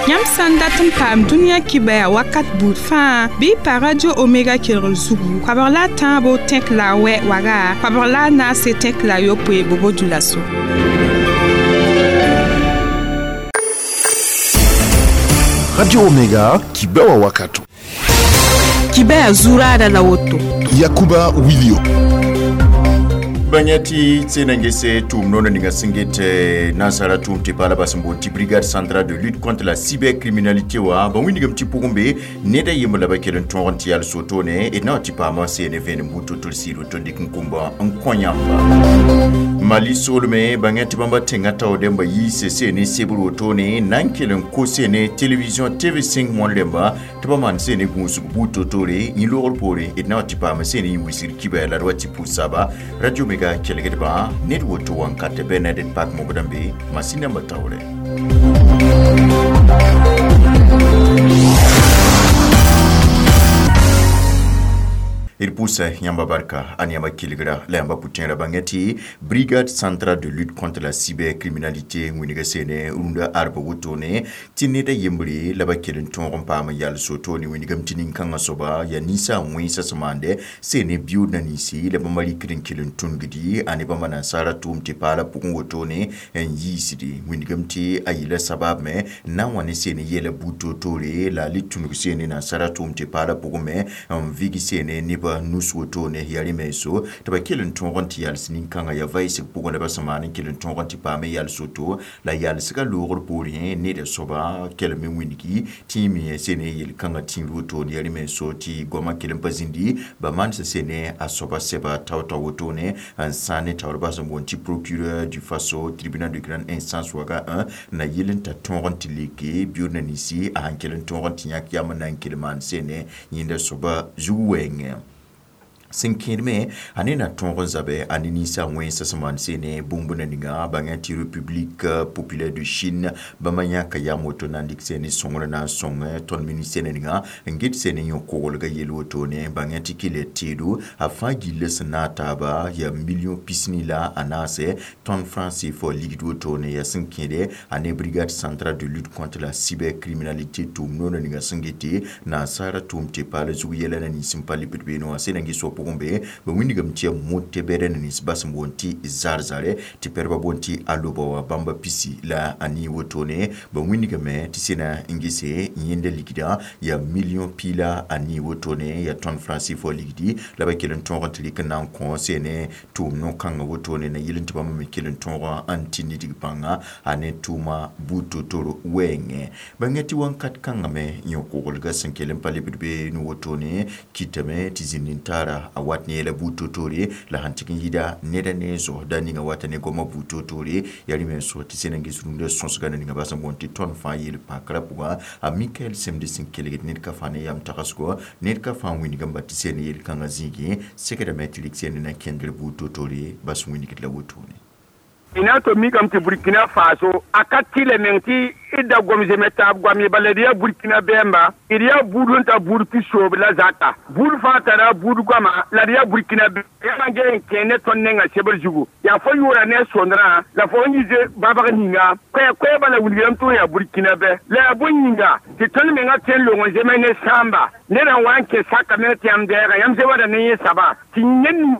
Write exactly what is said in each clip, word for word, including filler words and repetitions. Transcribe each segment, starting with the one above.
Yãmb sã n dat n paam dũniyã kibaya wakat buud fãa bɩ y pa Radio Omega kelgr zugu koabg la a tãabo tẽk la a wɛ waga koabg la a naase tẽk la a yopoe bobo dulaso. Radio Omega kibewa wakato. Kibaya zurada la woto. Yakuba Wilio. Banyati tsenangese tum nono ninga singete nasara tum te pala basimbo ti brigade centrale de lutte contre la cybercriminalité wa ba wini gam ti pugumbe neda yimba la bakelen ton ti al sotone et na ti pa ma C N V mbuto tol siro ton dik nkumba nkonyamba Mali solme banyati bamba tenga taw demba yi C C ne sebro tone nankelen ko C N télévision T V cinq mon lemba tba man C N gunsu buto tore ni lor pore et na ti pa ma C N wisir kiba la rwati pusaba Radio Mega kelgedba network to wan kate Bernadette Park Mogodambe masina matawre Irpusa yamba barka anyama kilgra la yamba putin bangeti brigade centrale de lutte contre la cybercriminalité ngwiniga sene runda arba wotone tineda yembri la bakelen ton pama yal soto ni winiga mtinin kanga soba ya nisa mwisa samande sene bio na nisi la bamali kirin kilin tungidi ani bamana sara tum te pala pukun wotone en yisidi winiga mti ayila sabab me na wani sene yele buto tore la litungu sene na sara tum te pala pukume vigi sene niba nus wotone yari meso taba kelin ton ti yal sinin kanga ya vice pugon ba samani kelin ton ti pame yal soto la yal sika logor pori ne de soba kelmi winiki ti mi sene yel kanga ti wotone yari meso ti goma kelin pazindi ba man se sene asoba seba tawta wotone an sane tawba so ti procureur du Faso tribunal de grande instance waga un na yelin ta ton ti leke bio na nisi a kelin ton ti yak yamana kelman sene yinda soba zuwenge Sinkirme ane na ton zabe ane nisa wen saman sene bumbuna ninga bangati République populaire de Chine bamanya kaya moto na ndik sene songre na song ton ministère ninga ngit sene yo kogolga yelo tone bangati kile tedo afa gile senata ba ya million pisni la anase ton français for ligue tone ya sinkire ane brigade centrale de lutte contre la cybercriminalité tumno ninga singiti na sara tumte pale zuyela na nisimpali bidbeno asena ngiso pugumbe ba wini gam tia mote bere ni sibas mbonti zarzare ti perba bonti aloba wa bamba pisi la ani wotone ba wini game ti sena ingise yende likida ya million pila ani wotone ya ton francis for ligidi la ba kelen ton rentli kana kon sene tum no kanga wotone na yilin ti ba me kelen ton anti ni digpanga ane tuma buto toro wenge bangeti wankat kanga me nyoko ga senkelen pale bidbe no wotone kitame ti zinintara a watne la buto tore la hantikin yida neda ne zo da ninga watane goma buto tore yari men so ti senangi surunde sonsga ninga basan bonti ton fa yel pakra puga a Michael Semde sinkeleg ned ka fane yam takasko ned ka fan wini gamba ti sene yel kanga zigi sekeda metlik sene na kendre buto tore bas wini la wotone ina to mi kam ti Burkina Faso akatile menti ida gomze meta gwami baladiya Burkina Bemba iriya budun ta burki sob la zata bur fa tara bur gwama la riya Burkina Bemba nge kene tonne nga sebel jugu ya fo yura ne sondra la fo ngize baba ninga kwe kwe bala wuliyam to ya Burkina Be la buninga ti tonne menga ten longo zeme ne samba ne ran wanke saka me tiam dera yam ze wada ne saba ti nyen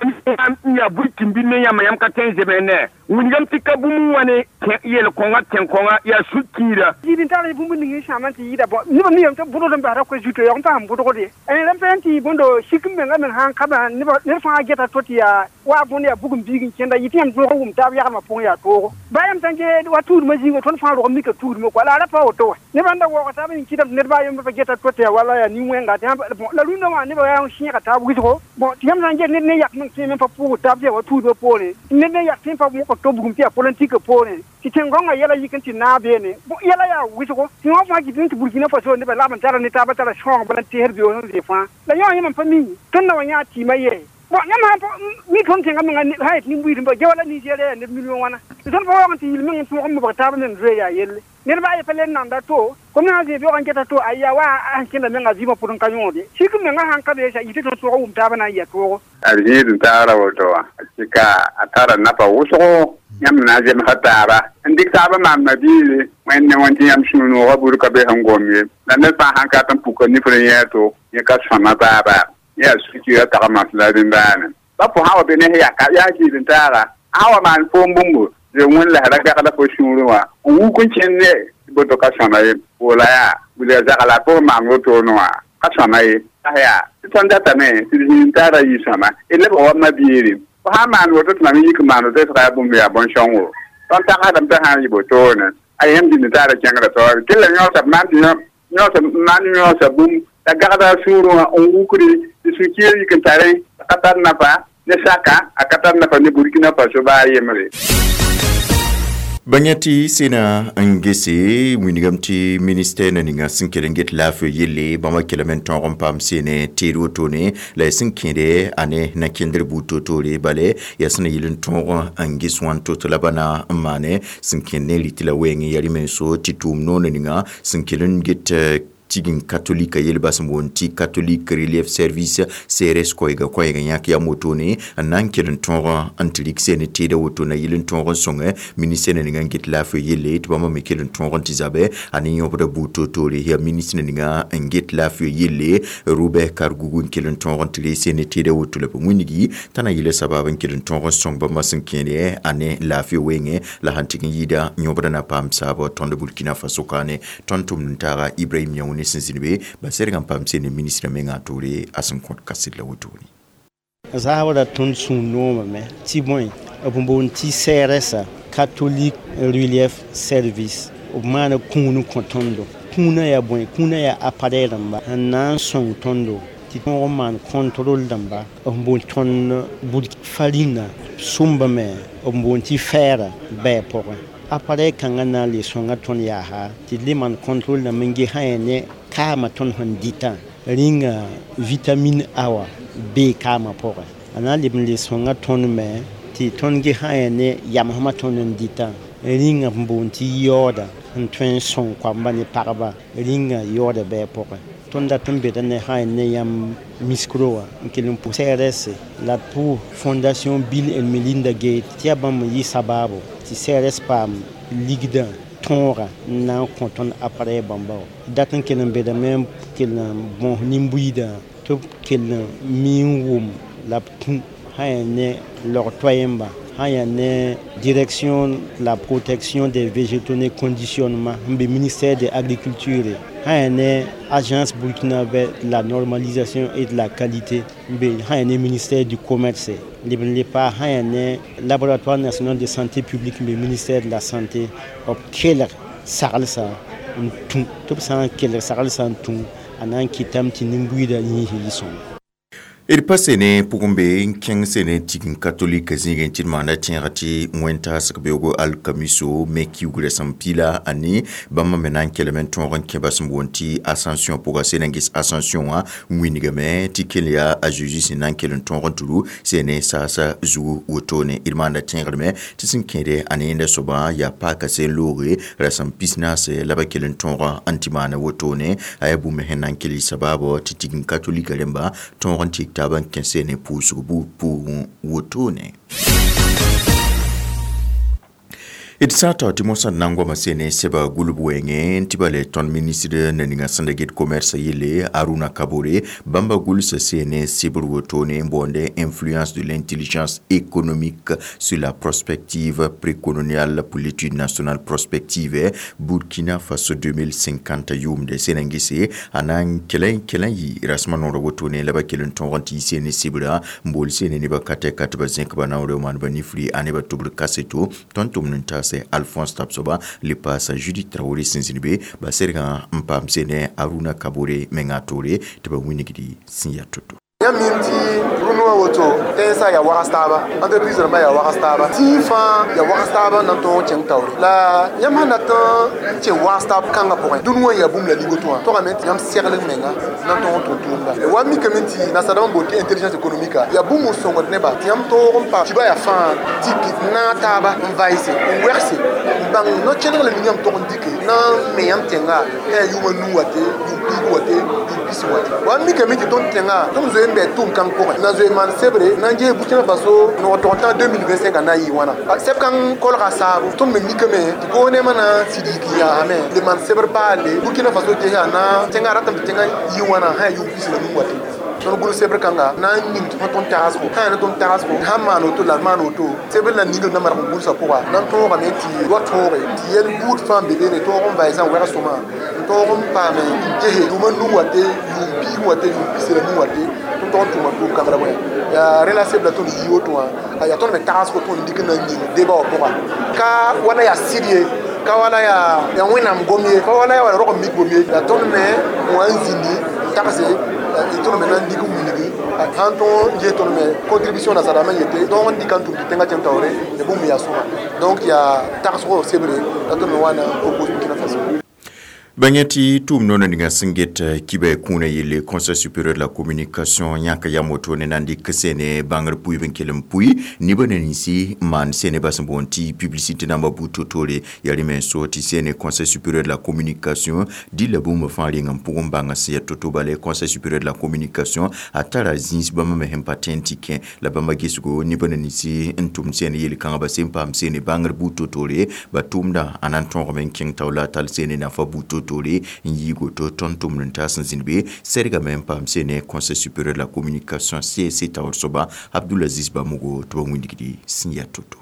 ya Burkina ne ya mayam ka ten zeme ne wuliyam ti kabumu wane yel konga ten konga ya sukira yidin tara bumbu ningi shaman ti yida bo ni ba mi yam ta budo dum bara ko juto yong ta budo ko de en lam pen ti bondo sikum men men han kaba ni ba ne fa geta toti ya wa bon ya bugum bigin kenda yiti am do wum ta ya ma pon ya to ba yam tan ke wa tur ma jingo ton fa ro mi ka tur mo ko la ra pa o to ne banda wo ko ta bin kidam ne ba yam ba geta toti ya wala ya ni wenga ta bon la lunda wa ne ba ya shi ka ta bugi ko bon ti yam tan ke ne ne yak men ti men pa pu ta ya wa tur do pole ne ne yak tin pa mo ko to bugum ti ya politique pole ti tengonga yela yikin ti na bene bo yela ya wisugo ti wa fa ki tin Burkina Faso ne ba la ban tara ne ta ba tara shong ba ti herbi o ne fa la yo yim pa mi ton na wa nya ti ma ye Bon yãmb sã n mi tõnd tẽngã menga sã yet nin-buiidẽmba ge wala Nigeria yaa neb million wãna tɩ tõnd pa waoog n tɩ yil meng n tõog n mobg taab meng zoe yaa yelle ned baa ye pa le n nanda to kom na n zẽe beoog n geta to aya wa a sẽn kẽnda menga vɩɩmã pʋd n ka yõod ye sik n mengã sãn ka be yɩ tɩ tõnd tõog n wʋm taabã na n yɩ a toogo a zĩig n taara woto wã tɩ ka a tara napa wʋsgo yãmb na n zemsa taaba n dɩk taabã maam mabiiri wẽnd ne wẽn tɩ yãmb sũ-noogã bur ka be sẽn gom ye la ned fãa sãn ka tɩ n puka nifr n yɛɛ to yẽ ka sõma baaba yaa sukira tagma la rĩmbaane pa fo sã wa be ne yaka yaa zĩig n taaga sã wa maan foom bũmbu tɩ wẽn la ra gagda fo sũurẽ wã n wuk n kẽnd ne boto ka sõma ye woola yaa wilga zagla pʋg maan wotone wã ka sõma ye yaa tɩ tõnd datame tɩ d zĩig n taara yɩ sõma d lebg wa mabiiri fo sã n maan woto tɩ mam yik n maan woto sga yaa bũmb yaa bõn-sõngo tõnd tagsdame tɩ sã n yɩ botoone a yãmb zĩig n taara kẽngrã taoore tɩ la yõosa b maan tɩ yõosa maan yõosa bũmb la gagda a sũurẽ wã n wukre tɩ sũ-kiir yik n tarẽ ka tar nafa ne saka a ka tar nafa ne Burkina Faso baa yembre. Bãng tɩ sẽna n gese wilgame tɩ ministɛr na ninga sẽn kell n get laafɩ yelle bãmba kelem n tõog n paam seene teed wotone la y sẽn kẽede a ne na-kẽndr buud toor-toore bale yaa sẽn na yɩl n tõog n ges wãn to-to la ba na n maane sẽn kẽnd ne rɩtɩ la wɛɛngẽ yaa rẽ-menso tɩ tʋʋm noor ninga sẽn kell n get tigin katolika yelba sẽn boond tɩ catholique relief service C R S koɛɛga koɛɛg n yãk yam wotone n na n kell n tõog n tɩ rɩk seen teeda woto na yɩl n tõog n sõnge ministɛr na ninga n get laafɩ yelle tɩ bãmba me kell n tõog n tɩ zabɛ a ne yõbda buud toor-toore yaa ministre na ninga n get laafɩ yelle Robert Kargougou n kell n tõog n tɩ ree seen teeda woto la b wĩnigi t'a na yɩla sabab n kell n tõog n sõng bãmba sẽn kẽede a ne laafɩ wɛɛngẽ la sãn tɩg n yɩɩda yõbda na paam saabã tõnd Burkina Faso kaane tõnd tʋmd n taaga Ibrahim Yãune sẽn zĩnd be ba serg n paam seen ministrã menga a toore a sẽn kõt kaset la wotone. Zaasra tõnd sũ-noomame tɩ bõe b boond tɩ C R S, Catholic Relief Service, b maana kũun n kõ tõndo. Kũunã yaa bõe? Kũunã yaa appareil dãmba n na n sõng tõndo tɩ tõog n maan contrôle dãmba b boond tõnd bud farĩnã sʋmbame b boond tɩ fɛɛra bɛɛ pʋgẽ. Appareil kãngã na n le sõnga tõnd yaasa tɩ d le maan contrôle dãmb n ges sã yaa ne kaamã tõnd sẽn dɩtã rĩnga vitamine A wã bee kaamã pʋgẽ. A na n leb n le sõnga tõnd me tɩ tõnd ges sã yaa ne yamsmã tõnd n dɩtã rĩnga n boond tɩ yaooda n tõe n sõng koamba ne pagba rĩnga yaooda bɛɛ pʋgẽ. Tõnd dat n beda ne sã yaa ne yãmb micro wã n kell n pʋ C R S la d pʋ Fondation Bill and Melinda Gates tɩ yaa bãmb n yɩ sabaabo tɩ C R S paam ligdã tõoga n na n kõ tõnd appareil bãmba wã. Dat n kell n bedame n kell n bõs nin-buiidã tɩ b kell n mi n wʋm la b tũ sã yaa ne log-toayẽmba sã yaa ne Direction de la protection des végétaux ne conditionnement n be ministère de l'Agriculture, sã yaa ne Agence burkinabé de la normalisation et de la qualité n be sã yaa ne ministère du Commerce, leb n le paa sã yaa ne Laboratoire national de santé publique n be ministère de la Santé. B kelg saglsã n tũ tɩ b sã n kelg saglsã n tũ a na n kɩtame tɩ nin-buiidã yĩns yɩ sõma. D pa sene pʋgẽ be n kẽng sene tign katolika zĩigẽ tɩ d maanda tẽegã tɩ wẽn-taasg beoogo alkamiso me kiugrã sẽn pila a ne bãmba me na n kelem n tõog n kẽ ba sẽn boond tɩ Ascension pʋga sẽn n ges Ascension wã wĩnigame tɩ kell yaa a Jésus sẽn na n kell n tõog n tɩ ru sene saasa zugu wotone. D maanda tẽegdme tɩ sẽn kẽede a ne yẽnda soabã yaa paaka seen looge rasem pis-naase la ba kell n tõog n tɩ maana wotone a yaa bũmb sẽn na n kell y sabaabɔ tɩ tign katolika rẽmba tõog n tɩk taab n kẽ sene pʋʋsg buud pʋgẽ wotone. D sã tao tɩ mosã d na n goama sene sɛba gulb wɛɛngẽ tɩ ba le tõnd ministre na ninga sẽn da get commerce yelle Aruna Kabore bãmba gʋlsa sene sɩbr wotone n boonde "Influence de l'intelligence économique sur la prospective précoloniale pour l'étude nationale prospective Burkina Faso deux mille cinquante" yʋʋmde sẽn n gese a na n kelẽ kelẽ yɩ rasmã noorã wotone la ba kell n tõog n tɩ yɩ sene sɩbra n bool sene nebã ka tɛka tɩ ba zẽk ba naoore maan ba nifri a nebã tʋbr kaseto. Tõnd tʋmd n taas Alphonse Tapsoba le paasa Judith Traoré sẽn zĩnd be ba sergã n paam sene Aruna Kabore menga toore tɩ ba wĩnigdi sẽn yaa to-to. Yãmb mim tɩ rũndã wã woto tẽnsã yaa wags taaba entreprise rãmbã yaa wags taaba tĩig fãa yaa wags taaba n na n tõog n kẽng taoore la yãmb sẽn dat n kẽ wags taab kãngã pʋgẽ dũni wã yaa bũmb la ning woto wã togame tɩ yãmb segl menga na n tõog n tʋm tʋʋmda wa mikame tɩ nasadãmb n boond tɩ intelligence économique yaa bũmb n sõngd nebã tɩ yãmb tõog n pa kiba yaa fãa dɩk naag taaba n vaɩse n wɛgse n bãng no-kẽneg la ning yãmb tog n dɩke na n me yãmb tẽnga yaa yʋʋma nuu wa te yʋʋm piig wa te yʋʋm pis wa te wa mikame tɩ tõnd tẽnga tõnd zoe n bɩ tʋʋm kãng pʋgẽ na zoe maan sebre na n ges Burkina Faso nog tog tã deux mille vingt-cinq a na n yɩ wãna sɛb kãng kolga saabo tõnd me mikame tɩ gouvernement na n sɩd yik yaasame le maan sebr paalle Burkina Faso gesa na tẽnga ratame tɩ tẽnga yɩ wãna sã yaa yʋʋm pis la nuu wa te tõnd gʋls sebr kãnga na n ning tɩ fõ tõnd tagsgo sã yaa ne tõnd tagsgo sãn maan woto la d maan woto sebr la ningl na marg n gʋlsã pʋga na n tõogame tɩ wa tõoge tɩ yɛl buud fãa n be beene tõog n vaɩsã n wɛg sõma n tõog n paame n gese yʋʋma nuu wa te yʋʋm piig wa te yʋʋm pis la nuu wa te tõnd tog n tʋʋma tʋʋm kãngrã bõe yaa rẽ la sebla tõnd yi woto wã yaa tõnd me tagsgo tõnd dɩk n na n yĩng deba wã pʋga ka wala yaa sɩd ye ka wala yaa yaa wẽnnaam gom ye ka wala yaa wala rog n mik bom ye yaa tõnd me wã n zĩndi n tagse tõnd me na n dɩk n wilgi sãn tõog n ges tõnd me contribution nasadãmbã n yete tõog n dɩka n tʋm tɩ tẽngã kẽng taoore ya bũmb yaa sõma donc yaa tagsgo sebre la tõnd me wa na n propose Burkina Faso. Bãng tɩ tʋʋm noona ninga sẽn get kibɛ kũunã yelle Conseil supérieur de la communication yãka yam woto ne na n dɩk sene bãngr pʋɩb n kell n pʋɩ nebã na ninsi n maan sene bas n boond tɩ publicité namba buud to-toore yaa rẽ me so tɩ sene Conseil supérieur de la communication dɩlla bũmb fãa reng n pʋgẽ bãnga sẽn yaa to-to bale Conseil supérieur de la communication a tara zĩis bãmba me sẽn pa tẽ n tɩ kẽ la bãmba gesgo nebã na ninsi n tʋm sene yel-kãngã ba sẽn paam sene bãngr buud to-toore ba tʋʋmdã a na n tõogame n kẽng taoor la a tall sene nafa buud to tore n yɩ woto tõnd tʋmd n taas n zĩnd be sɛrgame n paam sene Conseil supérieur de la communication C S C taoor soaba Abdulaziz Bamogo tɩ ba wĩndgdi sẽn yaa to-to.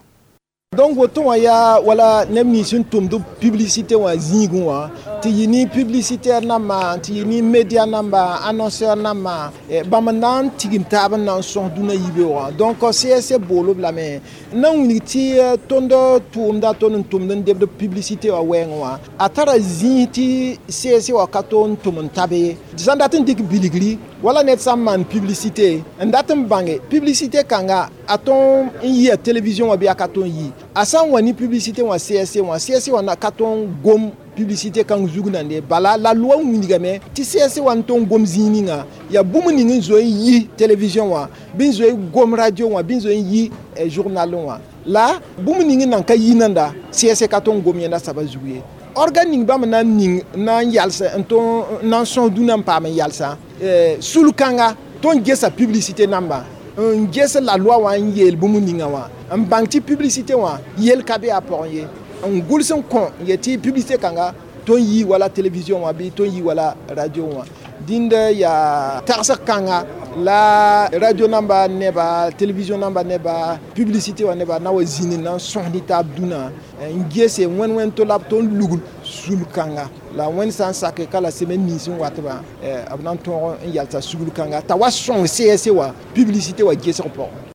Donc woto wã yaa wala neb nins sẽn tʋmd publicité wã zĩigẽ wã tɩ yɩ ne publicitaire namba tɩ yɩ ne média namba annonceur namba bãmb n na n tigim taab n na n sõs dũnã yibeoogã. Donc C S C bool-b lame n na n wilg tɩ tõnd tʋʋmda tõnd n tʋmd n debd publicité wã wɛɛngẽ wã a tara zĩis tɩ C S C wã ka to n tʋm n tabe ye sã n dat n dɩk bilgri wala ned sã n maan publicité n dat n bãnge publicité kãnga a tõn n yɩa télévision wã bɩ a ka tõn yi a sã n wa ne publicité wã C S C wã C S C wã na ka tõn gom publicité kãng zug nande bala la loi wilgame tɩ C S C wã n tõn gom zĩig ninga yaa bũmb ning n zoe n yi télévision wã bɩ n zoe gom radio wã bɩ n zoe n yi journal wã la bũmb ning n nan ka yi nanda C S C ka tõn gom yẽnda saba zug ye organe ning bãmb na n ning na n yals n tõn na n sõs dũnã n paam n yalsã sul kãnga tõnd gesa publicité namba n ges la loi wã n yeel bũmb ninga wã n bãng tɩ publicité wã yel ka be a pʋgẽ ye n gʋls n kõ n yet tɩ publicité kãnga tõnd yi wala télévision wã bɩ tõnd yi wala radio wã dĩnd yaa tagsg kãnga la radio namba neba télévision namba neba publicité wã neba na wa zĩnd na n sõs ne taab dũnã n gese wẽn wẽn to la b tõnd lugl sul kãnga la wẽnd sã n sake ka la semaine nins n watbã b na n tõog n yalsa sugl kãnga t'a wa sõng C S C wã publicité wã gesg pʋgẽ.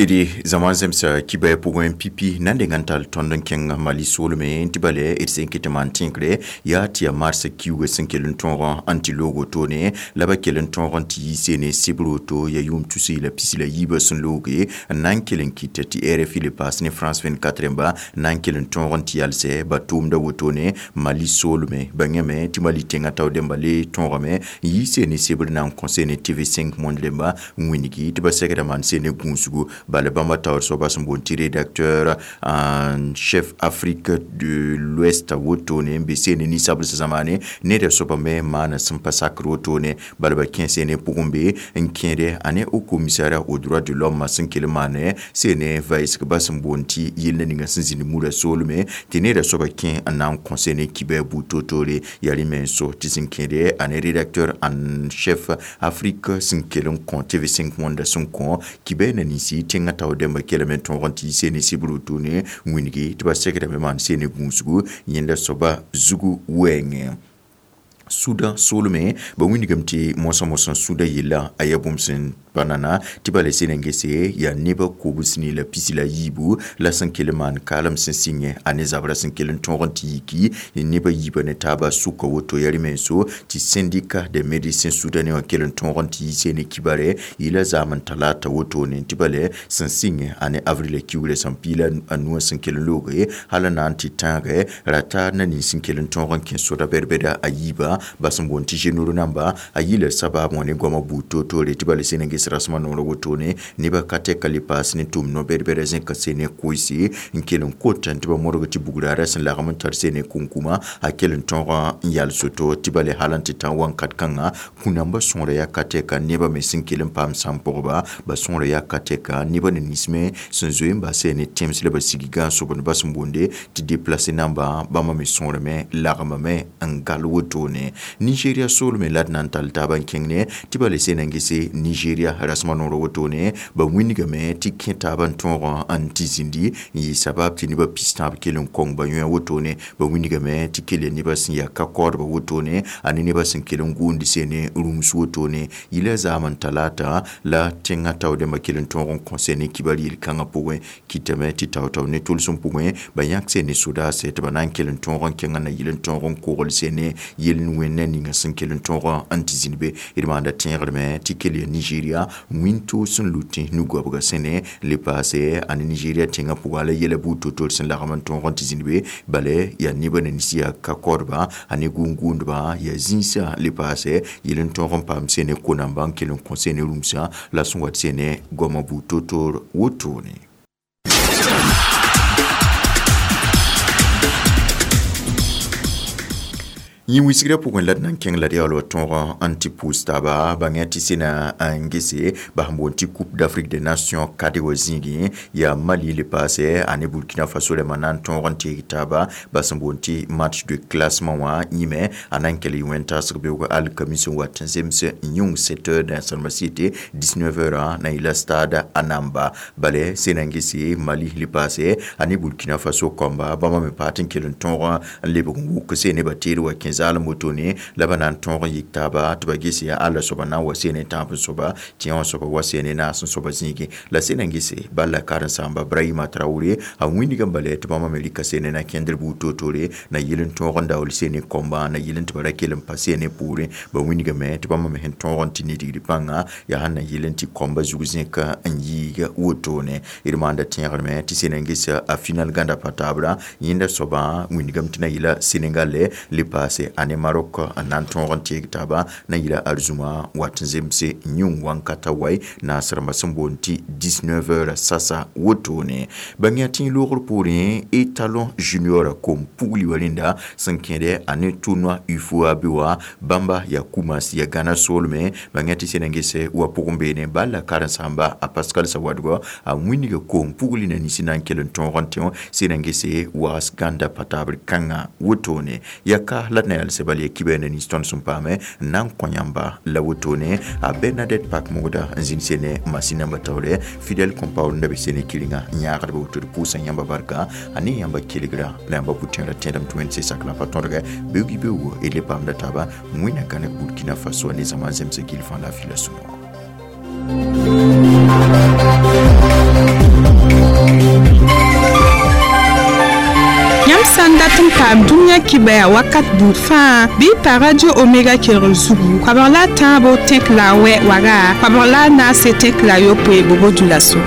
D zaman zemsa kibɛ pʋgẽ pipi na n deng n tall tõnd n kẽng Mali soolme n tɩ bale d sẽn ket n maan tẽnkre yaa tɩ yaa mars kiuugã sẽn kell n tõog n tɩ loog wotone la ba kell n tõog n tɩ yi sene sebr woto yaa yʋʋm tus la pis la yiibã sẽn looge n na n kell n kɩt tɩ R F I le paas ne France vingt-quatre rẽmba na n kell n tõog n tɩ yalsɛ ba tʋʋmda wotone Mali soolme ba yãme tɩ Mali tẽngã tao dẽmba le tõogame n yi sene sebr na n kõ sene T V cinq Monde rẽmba n wĩngi tɩ ba sɛgda maan sene gũusgu bala bãmba taoor soaba sẽn boond tɩ rédacteur en chef Afrique de l'Ouest wotone n be sene ninsabls zamaane neda soaba me maana sẽn pa sakr wotone bala ba kẽ sene pʋgẽ be n kẽede a ne Haut Commissariat aux droits de l'homme sẽn kell n maane sene vaɩsgba sẽn boond tɩ yella ninga sẽn zĩnd murã soolme tɩ neda soaba kẽ n na n kõ sene kibɛ buud to-toore yaa rẽ me n so tɩ sẽn kẽede a ne rédacteur en chef Afrique sẽn kell n kõ T V cinq Monde sẽn kõ kibɛ na ninsi tẽngã tao dẽmba kelame tõog n tɩ yi sene sibr wotone wĩngi tɩ ba segrame maan sene gũusgu yẽnda soaba zugu wɛɛngẽ. Sudã soolme ba wĩndgame tɩ moasã moasã sũdã yella a yaa bũmb sẽn Banana tɩ bala sẽn n gese yaa nebã kobs ne la pisi la yiibu la sẽn kell n maan kaalem sẽn sɩngẽ a ne zabrã sẽn kell n tõog n tɩ yiki nebã yiibã ne taabã sʋka woto yaa rẽ-menso tɩ syndicat des médecins soudanais wã kell n tõog n tɩ yiise ne kibare yɩla zaam n talata wotone tɩ bala sẽn sɩngẽ a ne avril kiugrã sẽn piila a nuwã sẽn kell n looge hal n na n tɩ tãage rata na nins sẽn kell n tõog n kẽ soda bɛd-bɛda a yiibã bas n boond tɩ généraux namba a yɩla sabab wã ne goamã buud toor-toore tɩ bala sẽn n ges rasmã noorã wotone nebã ka tɛka le paas ne tʋm no-bɛd-bɛda zẽka sene koeese n kell n kot tɩ ba modg tɩ bugraarã sẽn lagm n tar sene kunkuma a kell n tõog n yal soto tɩ bala hal n tɩ tã wãnkat kãngã kũ-nambã sõora yaa ka tɛka nebã me sẽn kell n paam sãn-pʋgba ba sõora yaa ka tɛka nebã ne nins me sẽn zoe n bas ne tẽms la ba sig gãan-sobdbã sẽn boonde tɩ déplacé nambã bãmba me sõorame lagmame n gal wotone Nigeria soolme la d na n tall taab n kẽng ne tɩ bala sẽn n gese Nigeria rasmã noorã wotone ba wĩndgame tɩ kẽ taab n tõog n tɩ zĩndi n yɩ sabab tɩ nebã pis-tãab kell n kong ba yõe wotone ba wĩndgame tɩ kell ya nebã sẽn yaa ka-kaoodbã wotone a ne nebã sẽn kell n gʋʋnd sene rũms wotone yɩla zaam n talata la tẽngã taoodẽmbã kell n tõog n kõ ne kibar yel-kãngã pʋgẽ kɩtame tɩ tao-tao ne tʋlsem pʋgẽ ba yãk sene sodaase tɩ ba na n kell n tõog n kẽngã na yɩl n tõog n kogl sene yel n wẽnna ninga sẽn kell n tõog n tɩ zĩnd be d maanda tẽegdme tɩ kell ya Nigeria wĩntoog sẽn lutẽ nu-goabga sẽne le paase a ne Nigeria tẽngã pʋga la yɛla buud to-to sẽn lagm n tõog n tɩ zĩnd be bala yaa nebã na nins yaa ka-kaoodba a ne gũun-gũudba yaa zĩisã le paase yel n tõog n paam sene ko-nambã n kell n kõ sene rũmsã la sẽn wat sene goamã buud to-toor wotone. Yẽ wisigrã pʋgẽ la d na n kẽng la d yaool wa tõog n tɩ pʋʋs taaba bãngã tɩ sẽna n gese bas n boond tɩ Coupe d'Afrique des Nations kade wã zĩigẽ yaa Mali le paase a ne Burkina Faso rãmbã na n tõog n teeg taaba bas n boond tɩ match de classement wã yĩme a na n kell yɩ wẽn-taasg beoog alkamis n wat n zems yũng sept heures dãensãrembã sɩɩte dix-neuf heures na yɩla stade a namba bala sẽna n gese Mali le paase a ne Burkina Faso kãmba bãmba me paat n kell n tõog n lebg n wʋk sene ba teed wa kẽ zaalem wotone la ba na n tõog n yik taaba tɩ ba ges yaa alla soaba na n wa sene tãab n soaba tɩ yã wã soaba wa sene naas n soaba zĩigẽ la sẽn n gese bala karen-sãamba Brahima Traoré a wĩndg n bala tɩ bãmba me rɩka sene na kẽndr buud toor-toore na yɩl n tõog n daool sene kõmba na yɩl n tɩ ba ra kell n pa sene poorẽ ba wĩndgame tɩ bãmba me sẽn tõog n tɩ nidgd pãnga yaa sẽn na yɩl n tɩ kõmba zug zẽk n yiig wotone d maanda tẽegdme tɩ sẽn n ges a final gãnda pa taabra yẽnda soabã wĩndgame tɩ na yɩla Sénégal le paase a ne Maroc n na n tõog n teeg taaba na yɩla arzũma wat n zemse yũng wãnkata wai naas rãmbã sẽn boond tɩ dix-neuf heures sasa wotone bãng yaa tẽ loogr poorẽ étalon junior kom pugli wa rẽnda sẽn kẽdɛ a ne tournoi UFOA be wã bãmba yaa Koumas yaa Gana soolme bãng yaa tɩ sẽn n gese wa pʋgẽ beene bal la karen-sãamba a Pascal Sawadgo a wĩndga koom pugli na nins na n kell n tõog n tẽ sẽn n gese waas gãnda pa taabr kãngã wotone yaa ka la d na yals bal ya kiba na nins tõnd sẽn paame n na n kõ yãmba la wotone a Bernadette Pak mogda n zĩnd sene masin namba taoore Fidèle Compaoré n da be sene kɩrenga n yãagdba woto d pʋʋsã yãmba barka a ne yãmba kelgra la yãmba pʋ-tẽerã tẽedame tɩ wẽnd sak la pa tõdgɛ beoog beoogo d le paamda taaba wẽnna gãneg Burkina Faso ne zãma zemsg gill fãa la a fila sũ-noog. Yãmb sã n dat n paam dũniyã kibaya wakat buud fãa bɩ pa Radio Omega kelgr zugu koabg la a tãabo tẽk la a wɛ waga koabg la a naase tẽk la a yopoe bobo dula so.